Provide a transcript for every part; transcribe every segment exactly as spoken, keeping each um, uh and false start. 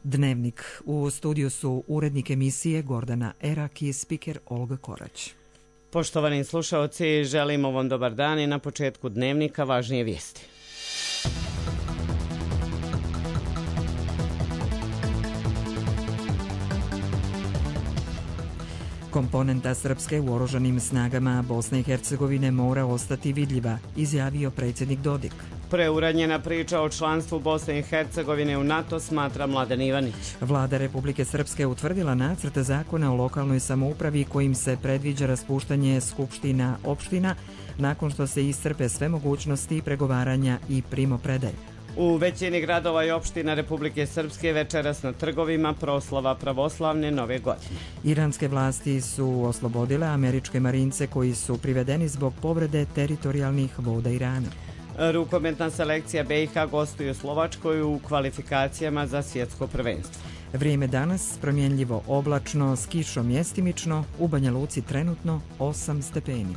Dnevnik. U studiju su urednik emisije Gordana Erak i spiker Olga Korać. Poštovani slušaoci, želimo vam dobar dan i na početku Dnevnika važnije vijesti. Komponenta Srpske u oružanim snagama Bosne i Hercegovine mora ostati vidljiva, izjavio predsjednik Dodik. Preuranjena priča o članstvu Bosne i Hercegovine u NATO, smatra Mladen Ivanić. Vlada Republike Srpske utvrdila nacrt zakona o lokalnoj samoupravi kojim se predviđa raspuštanje skupština opština nakon što se iscrpe sve mogućnosti pregovaranja i primopredaje. U većini gradova i opština Republike Srpske večeras na trgovima proslava pravoslavne nove godine. Iranske vlasti su oslobodile američke marince koji su privedeni zbog povrede teritorijalnih voda Irana. Rukometna selekcija B i H gostuje u Slovačkoj u kvalifikacijama za svjetsko prvenstvo. Vrijeme danas promjenljivo oblačno s kišom mjestimično, u Banja Luci trenutno osam stepeni.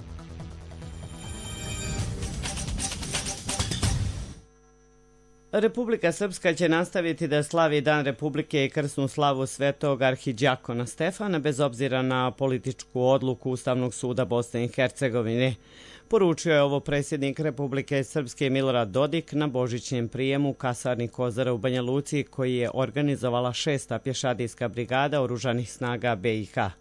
Republika Srpska će nastaviti da slavi Dan Republike i krsnu slavu svetog arhidjakona Stefana bez obzira na političku odluku Ustavnog suda Bosne i Hercegovine. Poručio je ovo predsjednik Republike Srpske Milorad Dodik na božićnjem prijemu u kasarni Kozara u Banja Luci koji je organizovala šesta pješadijska brigada oružanih snaga B i H.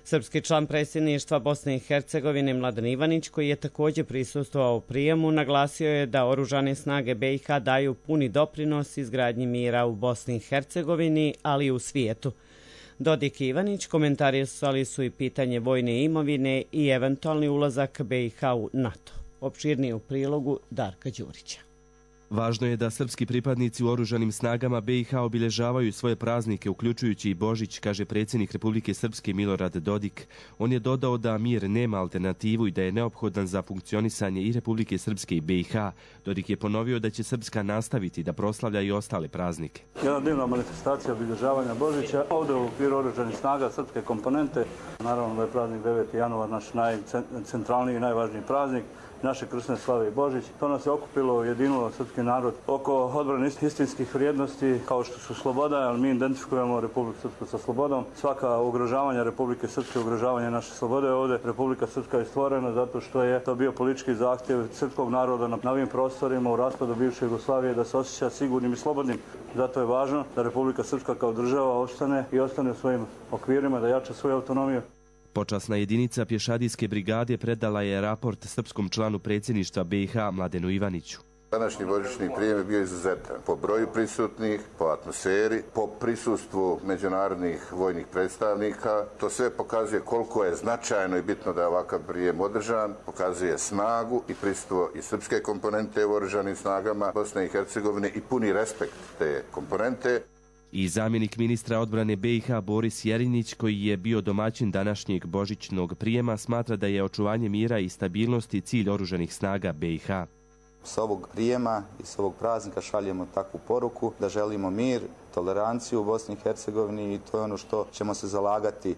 Srpski član predsjedništva Bosne i Hercegovine Mladen Ivanić, koji je također prisustvovao prijemu, naglasio je da oružane snage B i H daju puni doprinos izgradnji mira u Bosni i Hercegovini, ali i u svijetu. Dodik i Ivanić komentarisali su i pitanje vojne imovine i eventualni ulazak B i H u NATO. Opširnije u prilogu Darka Đurića. Važno je da srpski pripadnici u oružanim snagama B i H obilježavaju svoje praznike, uključujući i Božić, kaže predsjednik Republike Srpske Milorad Dodik. On je dodao da mir nema alternativu i da je neophodan za funkcionisanje i Republike Srpske i B i H. Dodik je ponovio da će Srpska nastaviti da proslavlja i ostale praznike. Jedna divna manifestacija obilježavanja Božića ovdje u okviru oružanih snaga srpske komponente. Naravno da je praznik deveti januar naš najcentralniji i najvažniji praznik naše krsne slave i Božić. To nas je okupilo, ujedinilo srpski narod oko odbrane istinskih vrijednosti kao što su sloboda, ali mi identifikujemo Republiku Srpsku sa slobodom. Svaka ugrožavanja Republike Srpske, ugrožavanje naše slobode ovdje. Republika Srpska je stvorena zato što je to bio politički zahtjev srpskog naroda na ovim prostorima u raspadu bivše Jugoslavije da se osjeća sigurnim i slobodnim. Zato je važno da Republika Srpska kao država ostane i ostane u svojim okvirima, da jača svoju autonomiju. Počasna jedinica pješadijske brigade predala je raport srpskom članu predsjedništva B i H Mladenu Ivaniću. Današnji božićni prijem je bio izuzetan po broju prisutnih, po atmosferi, po prisustvu međunarodnih vojnih predstavnika. To sve pokazuje koliko je značajno i bitno da je ovakav prijem održan, pokazuje snagu i prisustvo i srpske komponente u oružanim snagama Bosne i Hercegovine i puni respekt te komponente. I zamjenik ministra odbrane B i H Boris Jerinić, koji je bio domaćin današnjeg božićnog prijema, smatra da je očuvanje mira i stabilnosti cilj oružanih snaga B i H. S ovog prijema i s ovog praznika šaljemo takvu poruku da želimo mir, toleranciju u Bosni i Hercegovini i to je ono što ćemo se zalagati.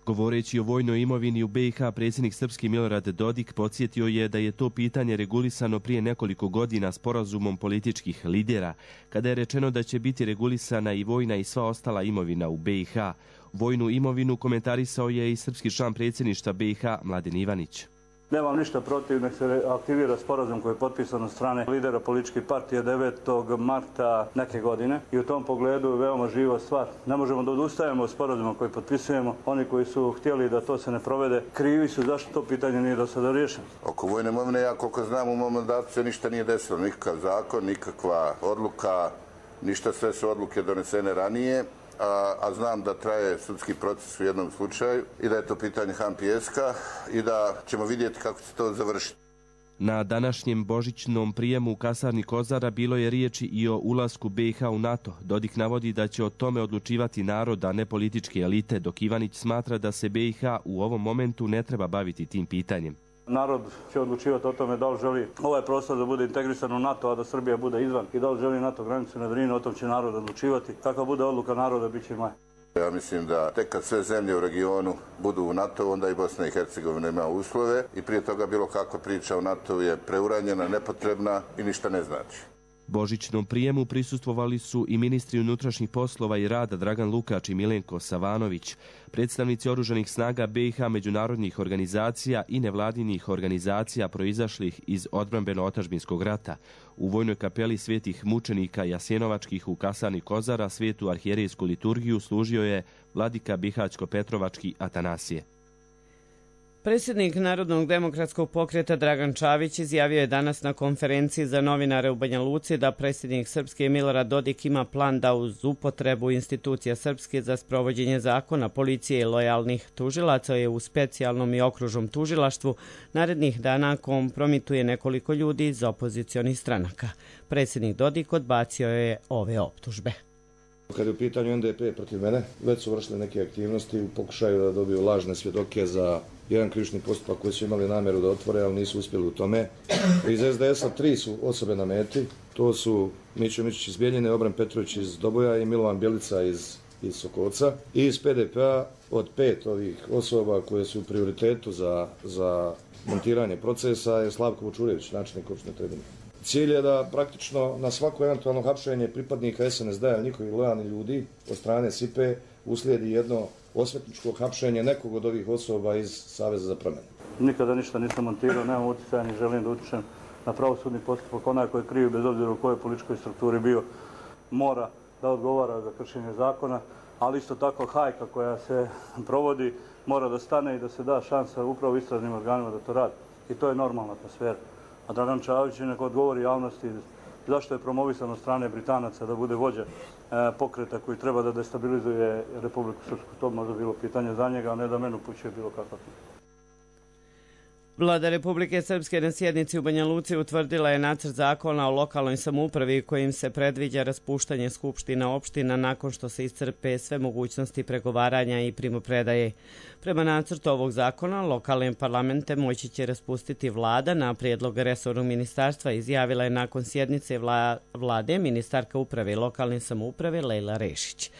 Govoreći o vojnoj imovini u B i H, predsjednik Srpski Milorad Dodik podsjetio je da je to pitanje regulisano prije nekoliko godina sporazumom političkih lidera, kada je rečeno da će biti regulisana i vojna i sva ostala imovina u B i H. Vojnu imovinu komentarisao je i srpski član predsjedništva B i H Mladen Ivanić. Nemam ništa protiv, nek se aktivira sporazum koji je potpisan od strane lidera političkih partija devetog marta neke godine i u tom pogledu je veoma živa stvar. Ne možemo da odustajemo od sporazuma koji potpisujemo. Oni koji su htjeli da to se ne provede, krivi su zašto to pitanje nije do sada riješeno. Oko vojne imovine, ja koliko znam u mom mandatu se ništa nije desilo, nikakav zakon, nikakva odluka, ništa, sve su odluke donesene ranije. A, a znam da traje sudski proces u jednom slučaju i da je to pitanje Han Pijeska i da ćemo vidjeti kako će to završiti. Na današnjem božićnom prijemu u kasarni Kozara bilo je riječi i o ulasku B i H u NATO. Dodik navodi da će o tome odlučivati narod, a ne političke elite, dok Ivanić smatra da se B i H u ovom momentu ne treba baviti tim pitanjem. Narod će odlučivati o tome da li želi ovaj prostor da bude integrisan u NATO, a da Srbija bude izvan i da li želi NATO granicu na Drini, o tom će narod odlučivati. Kakva bude odluka naroda, bit će maj. Ja mislim da tek kad sve zemlje u regionu budu u NATO, onda i Bosna i Hercegovina ima uslove i prije toga bilo kakva priča o NATO je preuranjena, nepotrebna i ništa ne znači. Božićnom prijemu prisustvovali su i ministri unutrašnjih poslova i rada Dragan Lukač i Milenko Savanović, predstavnici oružanih snaga B i H, međunarodnih organizacija i nevladinih organizacija proizašlih iz odbrambeno-otačbinskog rata. U vojnoj kapeli svetih mučenika Jasenovačkih u kasarni Kozara svetu arhijerejsku liturgiju služio je vladika Bihaćko-Petrovački Atanasije. Predsjednik Narodnog demokratskog pokreta Dragan Čavić izjavio je danas na konferenciji za novinare u Banja Luci da predsjednik Srpske Milorad Dodik ima plan da uz upotrebu institucija Srpske za sprovođenje zakona, policije i lojalnih tužilaca je u specijalnom i okružnom tužilaštvu narednih dana kompromituje nekoliko ljudi iz opozicionih stranaka. Predsjednik Dodik odbacio je ove optužbe. Kad je u pitanju N D P protiv mene, već su vršile neke aktivnosti u pokušaju da dobiju lažne svjedoke za jedan krivični postupak koji su imali namjeru da otvore, ali nisu uspjeli u tome. Iz S D S-a tri su osobe na meti, to su Mićo Mićić iz Bijeljine, Obran Petrović iz Doboja i Milovan Bjelica iz, iz Sokolca. I iz P D P-a od pet ovih osoba koje su u prioritetu za, za montiranje procesa je Slavko Vučurević, načelnik opštine Trebinje. Cilj je da praktično na svako eventualno hapšenje pripadnika S N S D-a, njihovih lojalnih ljudi od strane S I P E uslijedi jedno osvetničko hapšenje nekog od ovih osoba iz Saveza za promjenu. Nikada ništa nisam montirao, nemam utjecaja, ni želim da utičem na pravosudni postupak. Onaj koji je kriv, bez obzira u kojoj političkoj strukturi bio, mora da odgovara za kršenje zakona, ali isto tako hajka koja se provodi mora da stane i da se da šansa upravo istražnim organima da to radi. I to je normalna atmosfera. A Dragan Čavić neko odgovori javnosti zašto je promovisan od strane Britanaca da bude vođa pokreta koji treba da destabilizuje Republiku Srpsku. To možda bilo pitanje za njega, a ne da mene upućuje bilo kakva pitanja. Vlada Republike Srpske na sjednici u Banja Luci utvrdila je nacrt zakona o lokalnoj samoupravi kojim se predviđa raspuštanje skupština opština nakon što se iscrpe sve mogućnosti pregovaranja i primopredaje. Prema nacrtu ovog zakona, lokalne parlamente moći će raspustiti vlada na prijedlog resornog ministarstva, izjavila je nakon sjednice vla, vlade ministarka uprave i lokalne samouprave Lejla Rešić.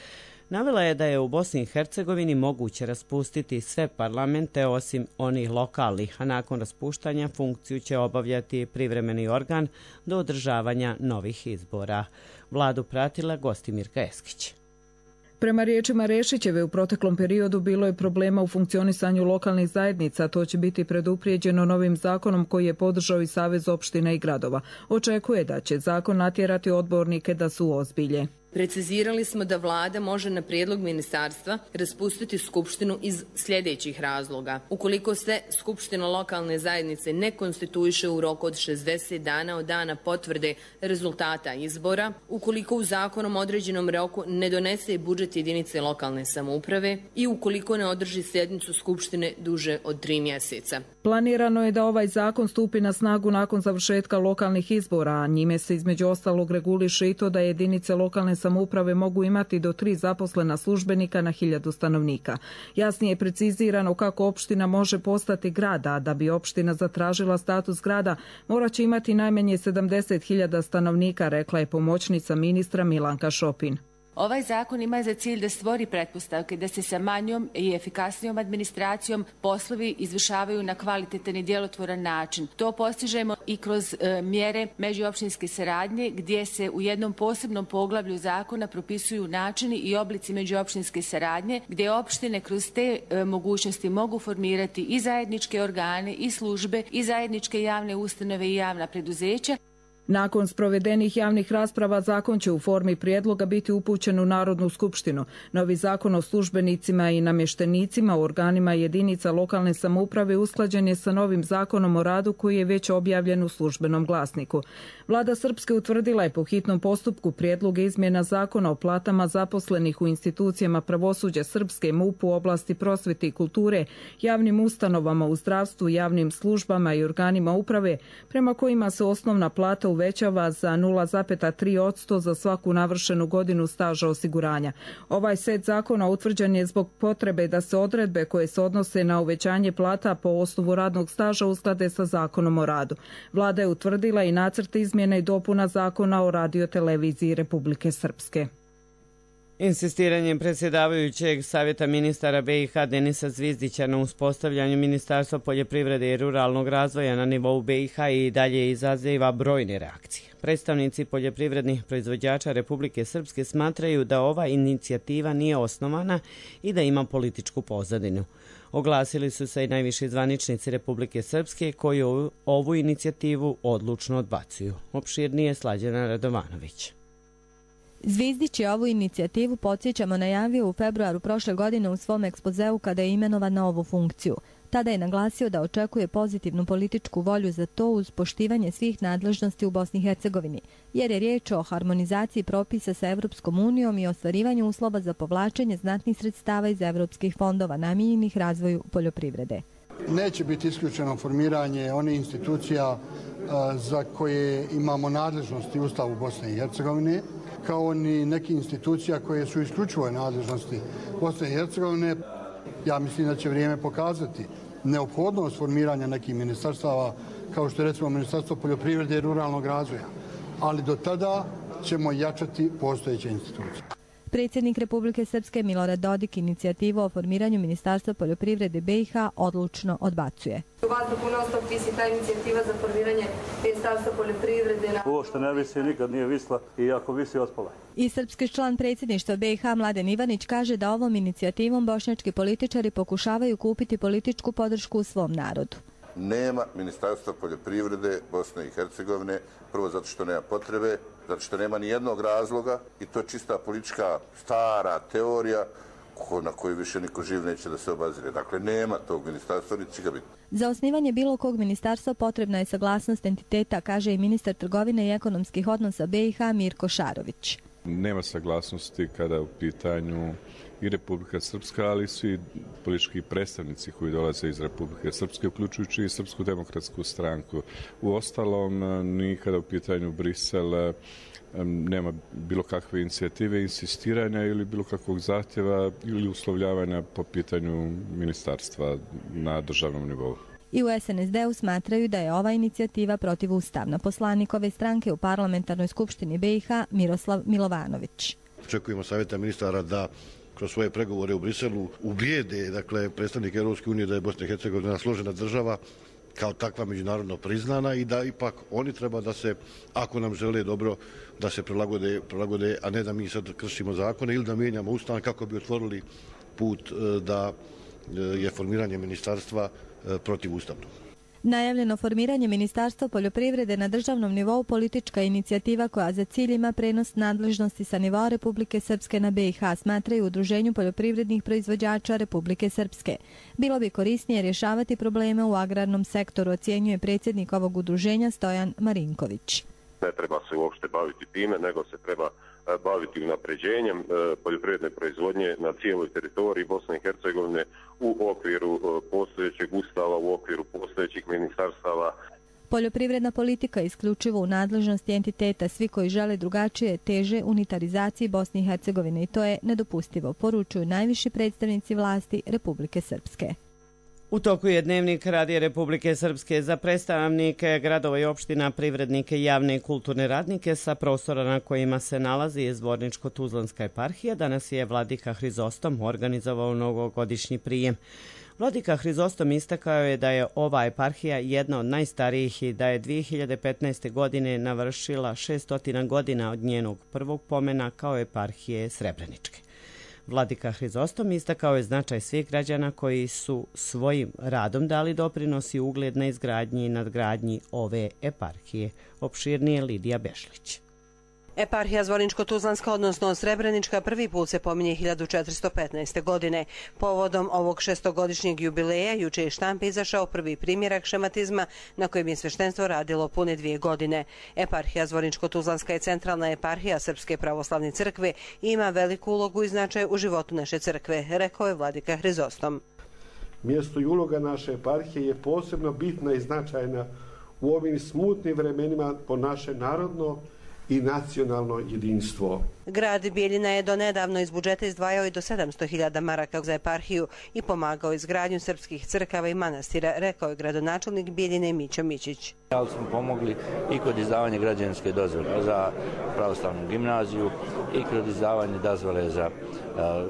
Navela je da je u Bosni i Hercegovini moguće raspustiti sve parlamente osim onih lokalnih, a nakon raspuštanja funkciju će obavljati privremeni organ do održavanja novih izbora. Vladu pratila Gostimirka Eskić. Prema riječima Rešićeve, u proteklom periodu bilo je problema u funkcionisanju lokalnih zajednica. To će biti preduprijeđeno novim zakonom koji je podržao i Savez opština i gradova. Očekuje da će zakon natjerati odbornike da su ozbilje. Precizirali smo da vlada može na prijedlog ministarstva raspustiti skupštinu iz sljedećih razloga. Ukoliko se skupština lokalne zajednice ne konstituiše u roku od šezdeset dana od dana potvrde rezultata izbora, ukoliko u zakonom određenom roku ne donese budžet jedinice lokalne samouprave i ukoliko ne održi sjednicu skupštine duže od tri mjeseca. Planirano je da ovaj zakon stupi na snagu nakon završetka lokalnih izbora, a njime se između ostalog reguliše i to da jedinice lokalne samouprave mogu imati do tri zaposlena službenika na hiljadu stanovnika. Jasnije je precizirano kako opština može postati grad, a da bi opština zatražila status grada morat će imati najmanje sedamdeset hiljada stanovnika, rekla je pomoćnica ministra Milanka Šopin. Ovaj zakon ima za cilj da stvori pretpostavke da se sa manjom i efikasnijom administracijom poslovi izvršavaju na kvalitetan i djelotvoran način. To postižemo i kroz e, mjere međuopštinske saradnje gdje se u jednom posebnom poglavlju zakona propisuju načini i oblici međuopštinske saradnje gdje opštine kroz te e, mogućnosti mogu formirati i zajedničke organe i službe i zajedničke javne ustanove i javna preduzeća. Nakon sprovedenih javnih rasprava, zakon će u formi prijedloga biti upućen u Narodnu skupštinu. Novi zakon o službenicima i namještenicima u organima jedinica lokalne samouprave usklađen je sa novim zakonom o radu koji je već objavljen u službenom glasniku. Vlada Srpske utvrdila je po hitnom postupku prijedloge izmjena zakona o platama zaposlenih u institucijama pravosuđa Srpske, M U P u oblasti prosvete i kulture, javnim ustanovama u zdravstvu, javnim službama i organima uprave, prema kojima se osnovna plata u uvećava za nula zarez tri posto za svaku navršenu godinu staža osiguranja. Ovaj set zakona utvrđen je zbog potrebe da se odredbe koje se odnose na uvećanje plata po osnovu radnog staža usklade sa zakonom o radu. Vlada je utvrdila i nacrt izmjena i dopuna zakona o radioteleviziji Republike Srpske. Insistiranjem predsjedavajućeg Savjeta ministara B i H Denisa Zvizdića na uspostavljanju Ministarstva poljoprivrede i ruralnog razvoja na nivou B i H i dalje izaziva brojne reakcije. Predstavnici poljoprivrednih proizvođača Republike Srpske smatraju da ova inicijativa nije osnovana i da ima političku pozadinu. Oglasili su se i najviši zvaničnici Republike Srpske koji ovu inicijativu odlučno odbacuju. Opširnije Slađana Radovanović. Zvizdić je ovu inicijativu, podsjećamo, najavio u februaru prošle godine u svom ekspozeu kada je imenovan na ovu funkciju. Tada je naglasio da očekuje pozitivnu političku volju za to uz poštivanje svih nadležnosti u Bosni i Hercegovini, jer je riječ o harmonizaciji propisa sa Evropskom unijom i ostvarivanju uslova za povlačenje znatnih sredstava iz evropskih fondova namijenjenih razvoju poljoprivrede. Neće biti isključeno formiranje onih institucija za koje imamo nadležnosti u Ustavu Bosne i Hercegovine, kao ni nekih institucija koje su isključivo nadležnosti Bosne i Hercegovine. Ja mislim da će vrijeme pokazati neophodnost formiranja nekih ministarstava, kao što je recimo Ministarstvo poljoprivrede i ruralnog razvoja. Ali do tada ćemo jačati postojeće institucije. Predsjednik Republike Srpske Milorad Dodik inicijativu o formiranju Ministarstva poljoprivrede B i H odlučno odbacuje. U vazduhu non stop visi ta inicijativa za formiranje Ministarstva poljoprivrede. Ovo što ne visi nikad nije visla i ako visi ospala. I srpski član predsjedništva B i H Mladen Ivanić kaže da ovom inicijativom bošnjački političari pokušavaju kupiti političku podršku u svom narodu. Nema Ministarstva poljoprivrede Bosne i Hercegovine, prvo zato što nema potrebe, zato što nema ni jednog razloga i to je čista politička stara teorija na koju više niko živ neće da se obazire. Dakle, nema tog ministarstva, niti će ga biti. Za osnivanje bilo kog ministarstva potrebna je saglasnost entiteta, kaže i ministar trgovine i ekonomskih odnosa B i H Mirko Šarović. Nema saglasnosti kada je u pitanju i Republika Srpska, ali svi politički predstavnici koji dolaze iz Republike Srpske, uključujući i Srpsku demokratsku stranku. U ostalom, ni kada u pitanju Brisel nema bilo kakve inicijative, insistiranja ili bilo kakvog zahtjeva ili uslovljavanja po pitanju ministarstva na državnom nivou. I u S N S D-u smatraju da je ova inicijativa protivustavna. Poslanik ove stranke u parlamentarnoj skupštini B i H Miroslav Milovanović. Očekujemo savjeta ministara da kroz svoje pregovore u Briselu ubijede, dakle, predstavnike Europske unije da je Bosna i Hercegovina složena država kao takva međunarodno priznana i da ipak oni treba da se, ako nam žele dobro, da se prilagode, prilagode, a ne da mi sad kršimo zakone ili da mijenjamo ustav kako bi otvorili put da je formiranje ministarstva protivustavno. Najavljeno formiranje Ministarstva poljoprivrede na državnom nivou politička inicijativa koja za cilj ima prenos nadležnosti sa nivoa Republike Srpske na B i H, smatraju u Udruženju poljoprivrednih proizvođača Republike Srpske. Bilo bi korisnije rješavati probleme u agrarnom sektoru, ocjenjuje predsjednik ovog udruženja Stojan Marinković. Ne treba se uopšte baviti time, nego se treba baviti unapređenjem poljoprivredne proizvodnje na cijeloj teritoriji Bosne i Hercegovine u okviru postojećeg ustava, u okviru postojećih ministarstava. Poljoprivredna politika isključivo u nadležnosti entiteta, svi koji žele drugačije teže unitarizaciji Bosne i Hercegovine i to je nedopustivo, poručuju najviši predstavnici vlasti Republike Srpske. U toku je Dnevnik Radija Republike Srpske za predstavnike gradova i opština, privrednike, javne i kulturne radnike sa prostora na kojima se nalazi Zvorničko-Tuzlanska eparhija. Danas je vladika Hrizostom organizovao novogodišnji prijem. Vladika Hrizostom istakao je da je ova eparhija jedna od najstarijih i da je dvije hiljade petnaeste. godine navršila šessto godina od njenog prvog pomena kao eparhije Srebreničke. Vladika Hrizostom istakao je značaj svih građana koji su svojim radom dali doprinos i ugled na izgradnji i nadgradnji ove eparhije. Opširnije Lidija Bešlić. Eparhija Zvorničko-Tuzlanska, odnosno Srebrenička, prvi put se pominje hiljadu četiristo petnaeste. godine. Povodom ovog šestogodišnjeg jubileja juče je štampi izašao prvi primjerak šematizma na kojem je sveštenstvo radilo pune dvije godine. Eparhija Zvorničko-Tuzlanska je centralna eparhija Srpske pravoslavne crkve i ima veliku ulogu i značaj u životu naše crkve, rekao je vladika Hrizostom. Mjesto i uloga naše eparhije je posebno bitna i značajna u ovim smutnim vremenima po naše narodno i nacionalno jedinstvo. Grad Bijeljina je donedavno iz budžeta izdvajao i do sedamsto hiljada maraka za eparhiju i pomagao izgradnju srpskih crkava i manastira, rekao je gradonačelnik Bijeljine Mićo Mićić. Ali smo pomogli i kod izdavanja građevinske dozvole za pravoslavnu gimnaziju i kod izdavanja dozvole za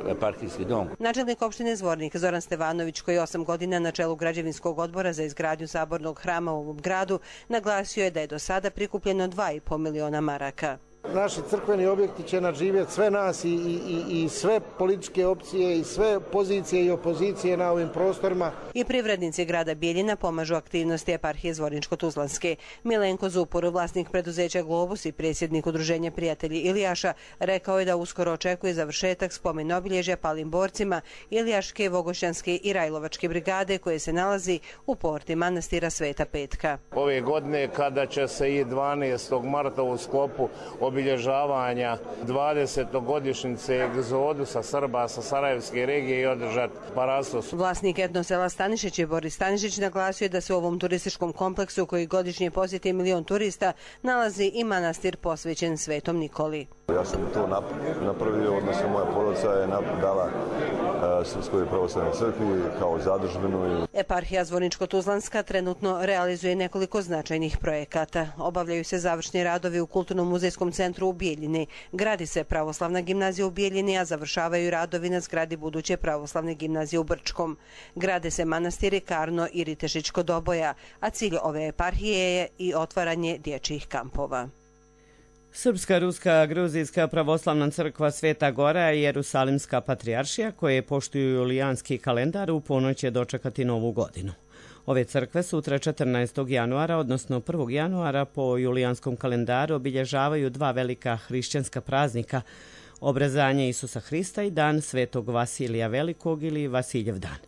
eparhijski dom. Načelnik opštine Zvornik Zoran Stevanović, koji je osam godina na čelu građevinskog odbora za izgradnju sabornog hrama u ovom gradu, naglasio je da je do sada prikupljeno dva i po miliona maraka. Naši crkveni objekti će nadživjeti sve nas i, i, i sve političke opcije i sve pozicije i opozicije na ovim prostorima. I privrednici grada Bijeljina pomažu aktivnosti eparhije Zvorničko-Tuzlanske. Milenko Zupor, vlasnik preduzeća Globus i predsjednik udruženja Prijatelji Ilijaša, rekao je da uskoro očekuje završetak spomen obilježja palim borcima Ilijaške, Vogošćanske i Rajlovačke brigade koje se nalazi u porti manastira Sveta Petka. Ove godine kada će se i dvanaestog marta u sklopu obilježavanja dvadesetogodišnjice egzodusa Srba sa Sarajevske regije i održati parastos. Vlasnik etno sela Stanišić je Boris Stanišić naglasio da se u ovom turističkom kompleksu koji godišnje posjeti milion turista nalazi i manastir posvećen Svetom Nikoli. Ja sam to napravio, odnosno moja porodica je dala Srpskoj pravoslavnoj crkvi kao zadužbinu. Eparhija Zvorničko-Tuzlanska trenutno realizuje nekoliko značajnih projekata. Obavljaju se završni radovi u Kulturno-muzejskom centru u Bijeljini. Gradi se pravoslavna gimnazija u Bijeljini, a završavaju radovi na zgradi buduće pravoslavne gimnazije u Brčkom. Grade se manastiri Karno i Ritešić kod Oboja, a cilj ove eparhije je i otvaranje dječjih kampova. Srpska, Ruska, Gruzijska pravoslavna crkva Sveta Gora i Jerusalimska patrijaršija, koje poštuju julijanski kalendar, u ponoć će dočekati novu godinu. Ove crkve sutra četrnaestog januara, odnosno prvog januara po julijanskom kalendaru obilježavaju dva velika hrišćanska praznika, obrezanje Isusa Hrista i dan Svetog Vasilija Velikog ili Vasiljev dan.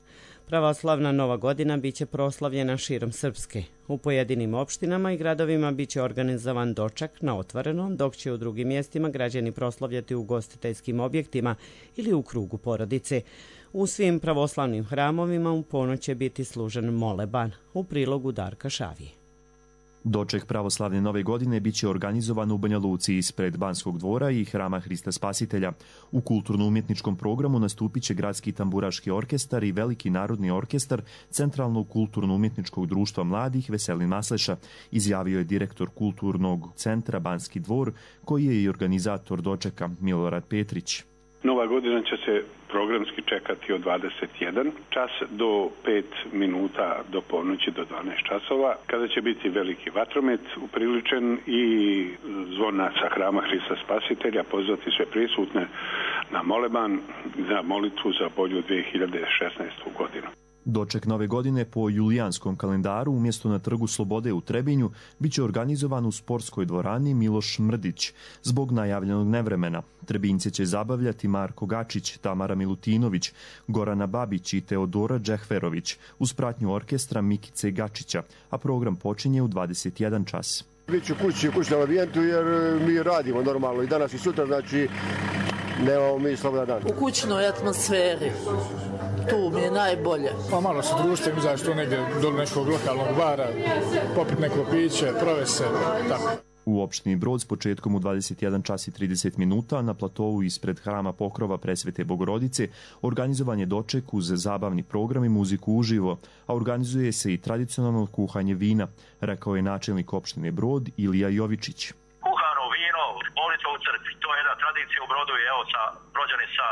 Pravoslavna nova godina biće proslavljena širom Srpske. U pojedinim opštinama i gradovima biće organizovan doček na otvorenom, dok će u drugim mjestima građani proslavljati u ugostiteljskim objektima ili u krugu porodice. U svim pravoslavnim hramovima u ponoć će biti služen moleban, u prilogu Darka Šavije. Doček pravoslavne nove godine biće organizovan u Banja Luci ispred Banskog dvora i Hrama Hrista Spasitelja. U kulturno-umjetničkom programu nastupit će Gradski tamburaški orkestar i Veliki narodni orkestar Centralnog kulturno-umjetničkog društva mladih Veselin Masleša, izjavio je direktor Kulturnog centra Banski dvor, koji je i organizator dočeka, Milorad Petrić. Nova godina će se programski čekati od dvadeset jedan čas do pet minuta do ponoći do dvanaest časova, kada će biti veliki vatromet upriličen i zvona sa Hrama Hrista Spasitelja, pozvati sve prisutne na moleban za molitvu za bolju dvije hiljade šesnaestu godinu. Doček nove godine po julijanskom kalendaru umjesto na Trgu Slobode u Trebinju biće organizovan u sportskoj dvorani Miloš Mrdić. Zbog najavljenog nevremena Trebinjce će zabavljati Marko Gačić, Tamara Milutinović, Gorana Babić i Teodora Džehverović uz pratnju orkestra Mikice Gačića, a program počinje u dvadeset jedan čas. Biću kući u kućnom ambijentu jer mi radimo normalno i danas i sutra, znači nemamo mi slobodan dan. U kućnoj atmosferi. Tu mi je najbolje. Pa malo se društvo, izaći tu negdje do nekog lokalnog bara, popiti neko piće, provesti se, tako. U opštini Brod s početkom u dvadeset jedan čas i trideset minuta na platovu ispred Hrama Pokrova Presvete Bogorodice organizovan je doček uz zabavni program i muziku uživo, a organizuje se i tradicionalno kuhanje vina, rekao je načelnik opštine Brod Ilija Jovičić. Kuhano vino, molitva u crkvi, to je jedna tradicija u Brodu i evo sa Brođani sa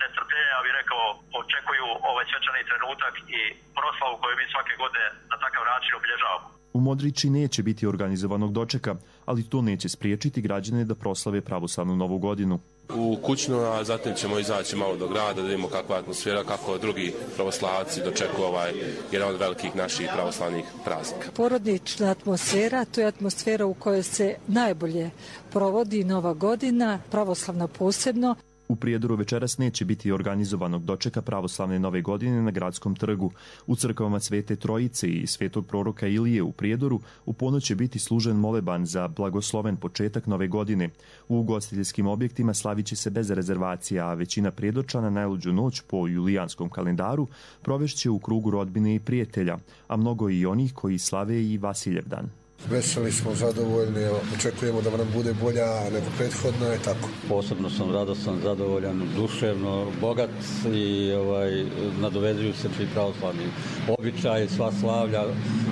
nestrpljenja, ja bih rekao, očekuju ovaj svečani trenutak i proslavu koju mi svake godine na takav način obilježavamo. U Modriči neće biti organizovanog dočeka, ali to neće spriječiti građane da proslave pravoslavnu novu godinu. U kućnu, a zatim ćemo izaći malo do grada da vidimo kakva je atmosfera, kako drugi pravoslavci dočekuju ovaj jedan od velikih naših pravoslavnih praznika. Porodična atmosfera, to je atmosfera u kojoj se najbolje provodi nova godina, pravoslavna posebno. U Prijedoru večeras neće biti organizovanog dočeka pravoslavne nove godine na Gradskom trgu. U crkvama Svete Trojice i Svetog proroka Ilije u Prijedoru u ponoć će biti služen moleban za blagosloven početak nove godine. U ugostiteljskim objektima slavit će se bez rezervacija, a većina Prijedorčana najluđu noć po julijanskom kalendaru provešće u krugu rodbine i prijatelja, a mnogo i onih koji slave i Vasiljev dan. Veseli smo, zadovoljni, očekujemo da nam bude bolja nego prethodna i tako. Posebno sam radostan, zadovoljan, duševno, bogat i ovaj, nadovezuju se svi pravoslavni običaji, sva slavlja,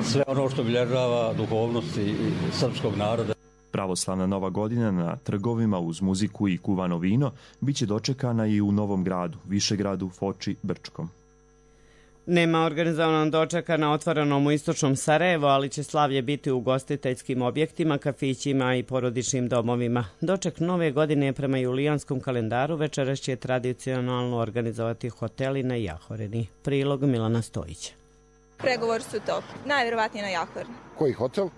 sve ono što obilježava duhovnosti srpskog naroda. Pravoslavna Nova godina na trgovima uz muziku i kuvano vino biće dočekana i u Novom Gradu, Višegradu, Foči, Brčkom. Nema organizovanog dočeka na otvorenom u istočnom Sarajevu, ali će slavlje biti u ugostiteljskim objektima, kafićima i porodičnim domovima. Doček nove godine prema julijanskom kalendaru večeras će tradicionalno organizovati hoteli na Jahorini. Prilog Milana Stojića. Pregovori su top. Najvjerovatnije na Jahorini. Koji hotel?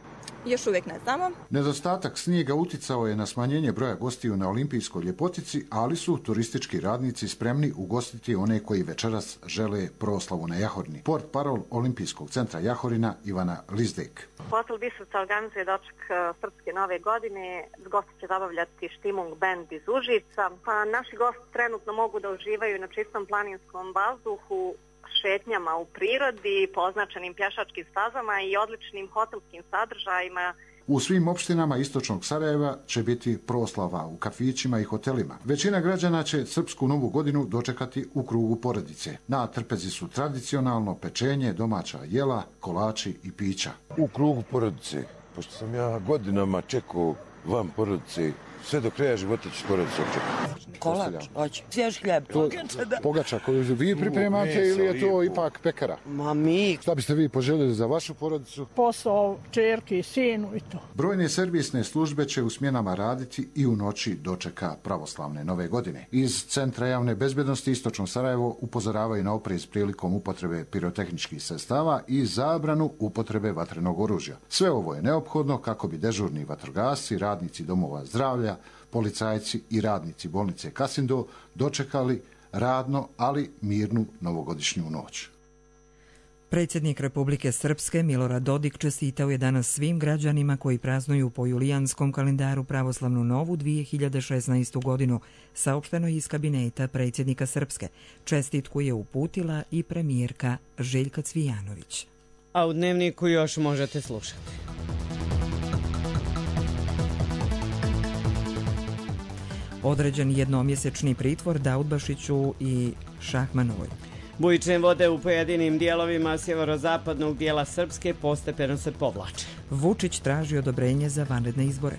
Još uvijek ne znamo. Nedostatak snijega uticao je na smanjenje broja gostiju na olimpijskoj ljepotici, ali su turistički radnici spremni ugostiti one koji večeras žele proslavu na Jahorini. Port parol Olimpijskog centra Jahorina Ivana Lizdek. Hotel Bistrica organizuje doček Srpske nove godine. Gosti će zabavljati Štimung band iz Užica. Pa naši gosti trenutno mogu da uživaju na čistom planinskom vazduhu, šetnjama u prirodi, poznačenim pješačkim stazama i odličnim hotelskim sadržajima. U svim opštinama istočnog Sarajeva će biti proslava u kafićima i hotelima. Većina građana će Srpsku novu godinu dočekati u krugu porodice. Na trpezi su tradicionalno pečenje, domaća jela, kolači i pića. U krugu porodice, pošto sam ja godinama čekao van porodice, sve do kraja života ću porodicu očekati. Kolač, hoće. Svjež hljeb. Pogača, da. Pogača koju vi pripremate meso, ili je to lijepo. Ipak pekara? Ma mi. Šta biste vi poželjeli za vašu porodicu? Posao, čerki, sinu i to. Brojne servisne službe će u smjenama raditi i u noći dočeka pravoslavne nove godine. Iz Centra javne bezbjednosti Istočno Sarajevo upozoravaju na oprez prilikom upotrebe pirotehničkih sredstava i zabranu upotrebe vatrenog oružja. Sve ovo je neophodno kako bi dežurni vatrogasci, radnici domova zdravlja, policajci i radnici bolnice Kasindo dočekali radno, ali mirnu novogodišnju noć. Predsjednik Republike Srpske Milorad Dodik čestitao je danas svim građanima koji praznuju po julijanskom kalendaru pravoslavnu novu dvije hiljade šesnaestu godinu, saopšteno iz kabineta predsjednika Srpske. Čestitku je uputila i premijerka Željka Cvijanović. A u Dnevniku još možete slušati. Određen jednomjesečni pritvor Daudbašiću i Šahmanovoj. Bujične vode u pojedinim dijelovima sjeverozapadnog dijela Srpske postepeno se povlače. Vučić traži odobrenje za vanredne izbore.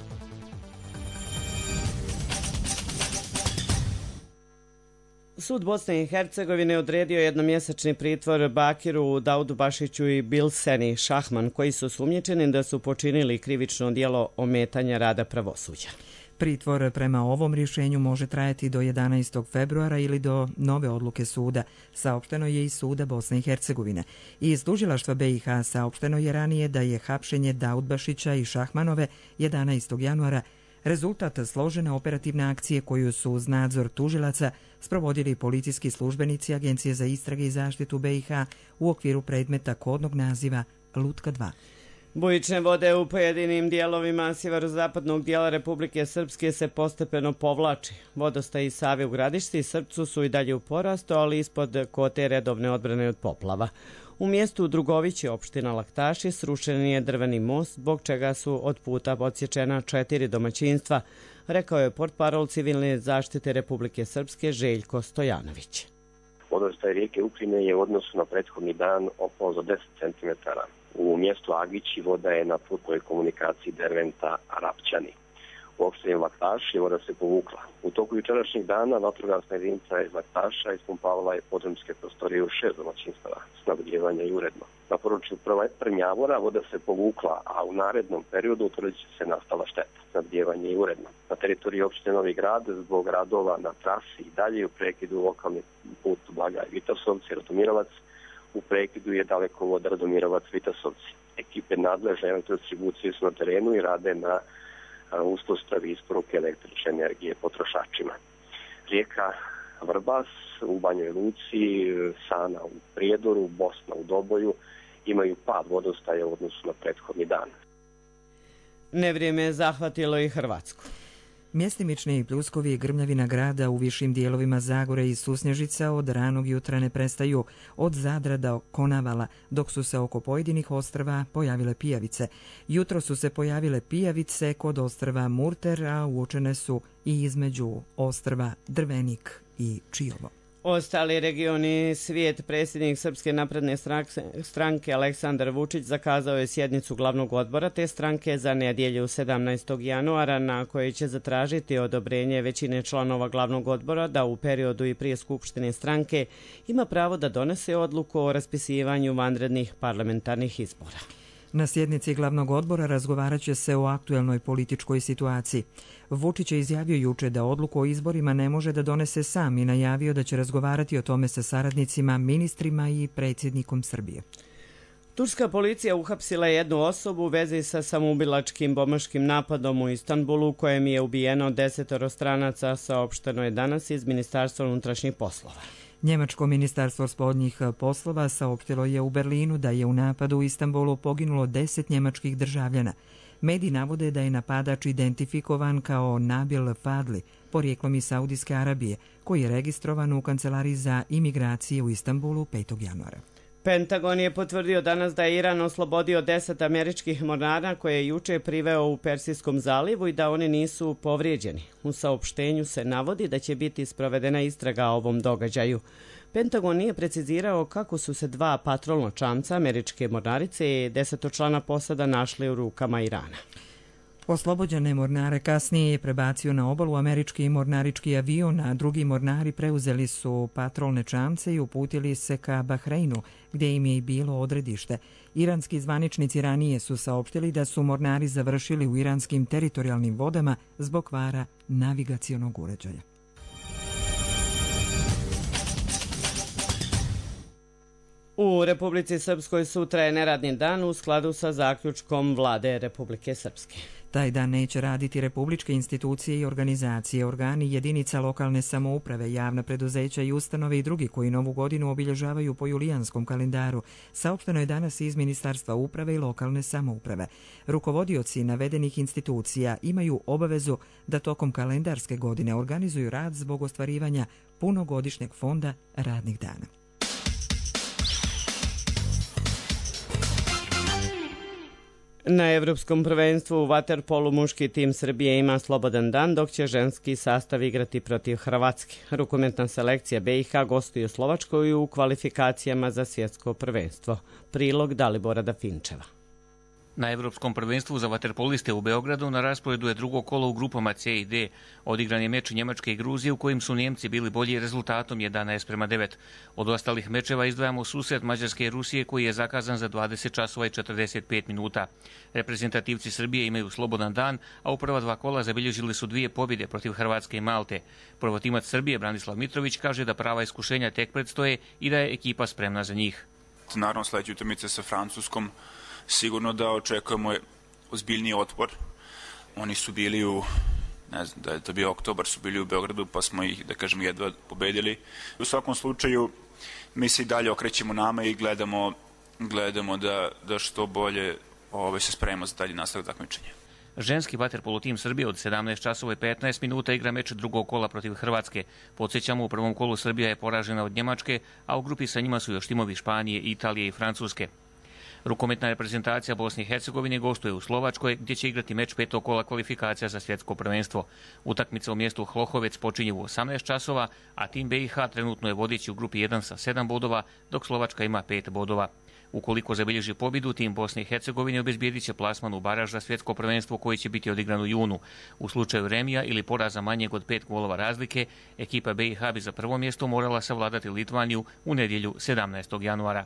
Sud Bosne i Hercegovine odredio jednomjesečni pritvor Bakiru Daudbašiću i Bilseni Šahman, koji su sumnjičeni da su počinili krivično djelo ometanja rada pravosuđa. Pritvor prema ovom rješenju može trajati do jedanaestog februara ili do nove odluke suda, saopšteno je iz suda Bosne i Hercegovine. Iz tužilaštva B i H saopšteno je ranije da je hapšenje Daudbašića i Šahmanove jedanaestog januara rezultat složene operativne akcije koju su uz nadzor tužilaca sprovodili policijski službenici Agencije za istrage i zaštitu B i H u okviru predmeta kodnog naziva Lutka dva. Bujične vode u pojedinim dijelovima sjeverozapadnog dijela Republike Srpske se postepeno povlači. Vodostaj iz Save u Gradišci i Srpcu su i dalje u porastu, ali ispod kote redovne odbrane od poplava. U mjestu Drugovići, opština Laktaši, srušen je drveni most, zbog čega su od puta odsječena četiri domaćinstva, rekao je portparol civilne zaštite Republike Srpske Željko Stojanović. Vodostaj rijeke Ukrine je u odnosu na prethodni dan opao za deset centimetara. U mjestu Agići voda je na putnoj komunikaciji Derventa-Rapćani. U opštini Laktaši voda se povukla. U toku jučerašnjih dana vatrogasna jedinica iz Laktaša ispumpavala je podrumske prostorije u šest domaćinstava, snabdijevanja i uredno. Na području Prnjavora voda se povukla, a u narednom periodu utvrdit će se nastala šteta, snabdijevanje i uredno. Na teritoriji opštine Novi Grad zbog radova na trasi i dalje u prekidu lokalni put Blagaj Vitasovci, Radomirovac, u prekidu je dalekovod Radomirovac-Vitasovci. Ekipe nadležne elektrodistribucije su na terenu i rade na uspostavi isporuke električne energije potrošačima. Rijeka Vrbas u Banjoj Luci, Sana u Prijedoru, Bosna u Doboju imaju pad vodostaja u odnosu na prethodni dan. Nevrijeme je zahvatilo i Hrvatsku. Mjestimični pljuskovi i grmljavina grada u višim dijelovima Zagore i Susnježica od ranog jutra ne prestaju, od Zadra do Konavala, dok su se oko pojedinih ostrva pojavile pijavice. Jutro su se pojavile pijavice kod ostrva Murter, a uočene su i između ostrva Drvenik i Čiovo. Ostali regioni svijet, predsjednik Srpske napredne stranke Aleksandar Vučić zakazao je sjednicu glavnog odbora te stranke za nedjelju sedamnaestog januara na kojoj će zatražiti odobrenje većine članova glavnog odbora da u periodu i prije skupštine stranke ima pravo da donese odluku o raspisivanju vanrednih parlamentarnih izbora. Na sjednici glavnog odbora razgovarat će se o aktuelnoj političkoj situaciji. Vučić je izjavio juče da odluku o izborima ne može da donese sam i najavio da će razgovarati o tome sa saradnicima, ministrima i predsjednikom Srbije. Turska policija uhapsila jednu osobu u vezi sa samoubilačkim bombaškim napadom u Istanbulu u kojem je ubijeno desetoro stranaca, saopšteno je danas iz Ministarstva unutrašnjih poslova. Njemačko ministarstvo spoljnih poslova saopštilo je u Berlinu da je u napadu u Istanbulu poginulo deset njemačkih državljana. Mediji navode da je napadač identifikovan kao Nabil Fadli, porijeklom iz Saudijske Arabije, koji je registrovan u kancelariji za imigracije u Istanbulu petog januara. Pentagon je potvrdio danas da je Iran oslobodio deset američkih mornara koje je juče priveo u Persijskom zalivu i da oni nisu povrijeđeni. U saopštenju se navodi da će biti sprovedena istraga o ovom događaju. Pentagon nije precizirao kako su se dva patrolna čamca američke mornarice i desetočlana posada našli u rukama Irana. Oslobođene mornare kasnije je prebacio na obalu američki mornarički avion, a drugi mornari preuzeli su patrolne čamce i uputili se ka Bahreinu, gdje im je i bilo odredište. Iranski zvaničnici ranije su saopštili da su mornari završili u iranskim teritorijalnim vodama zbog kvara navigacionog uređaja. U Republici Srpskoj sutra je neradni dan u skladu sa zaključkom Vlade Republike Srpske. Taj dan neće raditi republičke institucije i organizacije, organi jedinica lokalne samouprave, javna preduzeća i ustanove i drugi koji novu godinu obilježavaju po julijanskom kalendaru, saopšteno je danas iz Ministarstva uprave i lokalne samouprave. Rukovodioci navedenih institucija imaju obavezu da tokom kalendarske godine organizuju rad zbog ostvarivanja punogodišnjeg fonda radnih dana. Na Evropskom prvenstvu u vaterpolu muški tim Srbije ima slobodan dan, dok će ženski sastav igrati protiv Hrvatske. Rukometna selekcija B i H gostuje u Slovačkoj u kvalifikacijama za svjetsko prvenstvo. Prilog Dalibora Dafinčeva. Na Evropskom prvenstvu za vaterpoliste u Beogradu na rasporedu je drugo kolo u grupama C i D. Odigran je meč Njemačke i Gruzije u kojim su Njemci bili bolji rezultatom jedanaest prema devet. Od ostalih mečeva izdvajamo susret Mađarske i Rusije koji je zakazan za dvadeset časova i četrdeset pet minuta. Reprezentativci Srbije imaju slobodan dan, a u prva dva kola zabilježili su dvije pobjede protiv Hrvatske i Malte. Prvotimac Srbije Branislav Mitrović kaže da prava iskušenja tek predstoje i da je ekipa spremna za njih. Naravno, sledeće utakmice sa Francuskom sigurno da očekujemo ozbiljniji otpor. Oni su bili u, ne znam, da je to bio oktobar, su bili u Beogradu, pa smo ih, da kažem, jedva pobedili. U svakom slučaju, mi se i dalje okrećemo nama i gledamo, gledamo da, da što bolje ove, se spremimo za dalje nastavak takmičenja. Ženski vaterpolo tim Srbije od sedamnaest časova i petnaest minuta igra meč drugog kola protiv Hrvatske. Podsjećamo, u prvom kolu Srbija je poražena od Njemačke, a u grupi sa njima su još timovi Španije, Italije i Francuske. Rukometna reprezentacija Bosne i Hercegovine gostuje u Slovačkoj, gdje će igrati meč petog kola kvalifikacija za svjetsko prvenstvo. Utakmica u mjestu Hlohovec počinje u osamnaest časova, a tim B i H trenutno je vodeći u grupi jedan sa sedam bodova, dok Slovačka ima pet bodova. Ukoliko zabilježi pobjedu, tim Bosne i Hercegovine obezbijedit će plasman u baraž za svjetsko prvenstvo koji će biti odigran u junu. U slučaju remija ili poraza manjeg od pet golova razlike, ekipa B i H bi za prvo mjesto morala savladati Litvaniju u nedjelju sedamnaestog januara.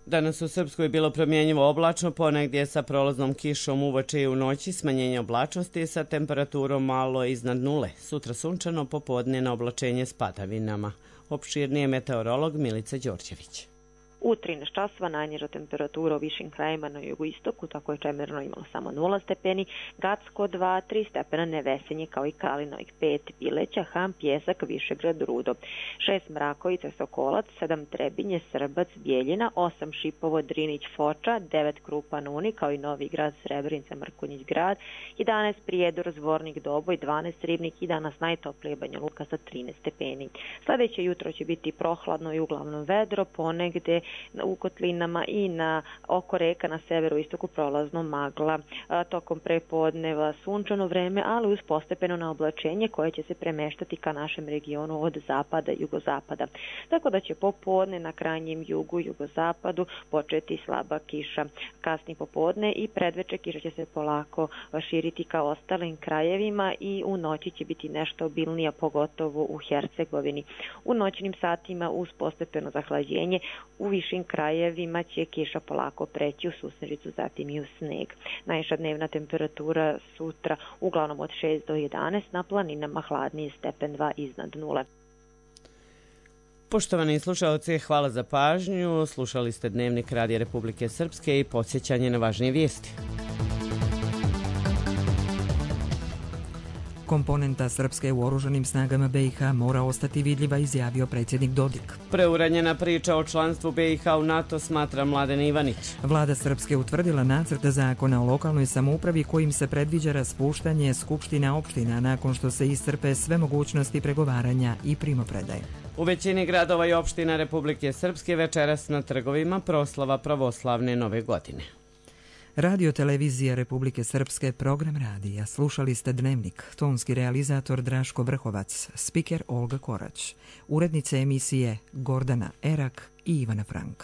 Danas u Srpskoj je bilo promjenjivo oblačno, ponegdje sa prolaznom kišom uveče i u noći, smanjenje oblačnosti sa temperaturom malo iznad nule. Sutra sunčano, popodne na oblačenje s padavinama. Opširnije meteorolog Milica Đorđević. U trinaest časova najniža temperatura u višim krajima na jugoistoku, tako je Čemerno imalo samo nula stepeni, Gacko dva, tri stepena Nevesenje kao i Kalinovik pet, Bileća, Ham, Pjesak, Višegrad, Rudo, šest Mrakovica, Sokolac, sedam Trebinje, Srbac, Bijeljina, osam Šipovo, Drinić, Foča, devet Krupan, Uni kao i Novi Grad, Srebrenica, Mrkonjić Grad, jedanaest Prijedor, Zvornik, Doboj, dvanaest Ribnik i danas najtoplije Banja Luka sa trinaest stepeni. Sljedeće jutro će biti prohladno i uglavnom vedro, ponegde u kotlinama i na oko reka na severu istoku prolazno magla. A, tokom prepodneva sunčano vreme, ali uz postepeno naoblačenje koje će se premeštati ka našem regionu od zapada i jugozapada. Tako da će popodne na krajnjem jugu i jugozapadu početi slaba kiša. Kasni popodne i predveče kiša će se polako širiti ka ostalim krajevima i u noći će biti nešto obilnija, pogotovo u Hercegovini. U noćnim satima uz postepeno zahlađenje u višim krajevima će kiša polako preći u susnežicu, zatim i u sneg. Najviša dnevna temperatura sutra uglavnom od šest do jedanaest, na planinama hladnije stepen dva iznad nule. Poštovani slušalci, hvala za pažnju. Slušali ste Dnevnik Radija Republike Srpske i podsjećanje na važnije vijesti. Komponenta Srpske u oružanim snagama B i H mora ostati vidljiva, izjavio predsjednik Dodik. Preuranjena priča o članstvu B i H u NATO, smatra Mladen Ivanić. Vlada Srpske utvrdila nacrt zakona o lokalnoj samoupravi kojim se predviđa raspuštanje skupština opština nakon što se iscrpe sve mogućnosti pregovaranja i primopredaje. U većini gradova i opština Republike Srpske večeras na trgovima proslava pravoslavne nove godine. Radio televizija Republike Srpske, program radija. Slušali ste Dnevnik, tonski realizator Draško Vrhovac, spiker Olga Korać, urednice emisije Gordana Erak i Ivana Frank.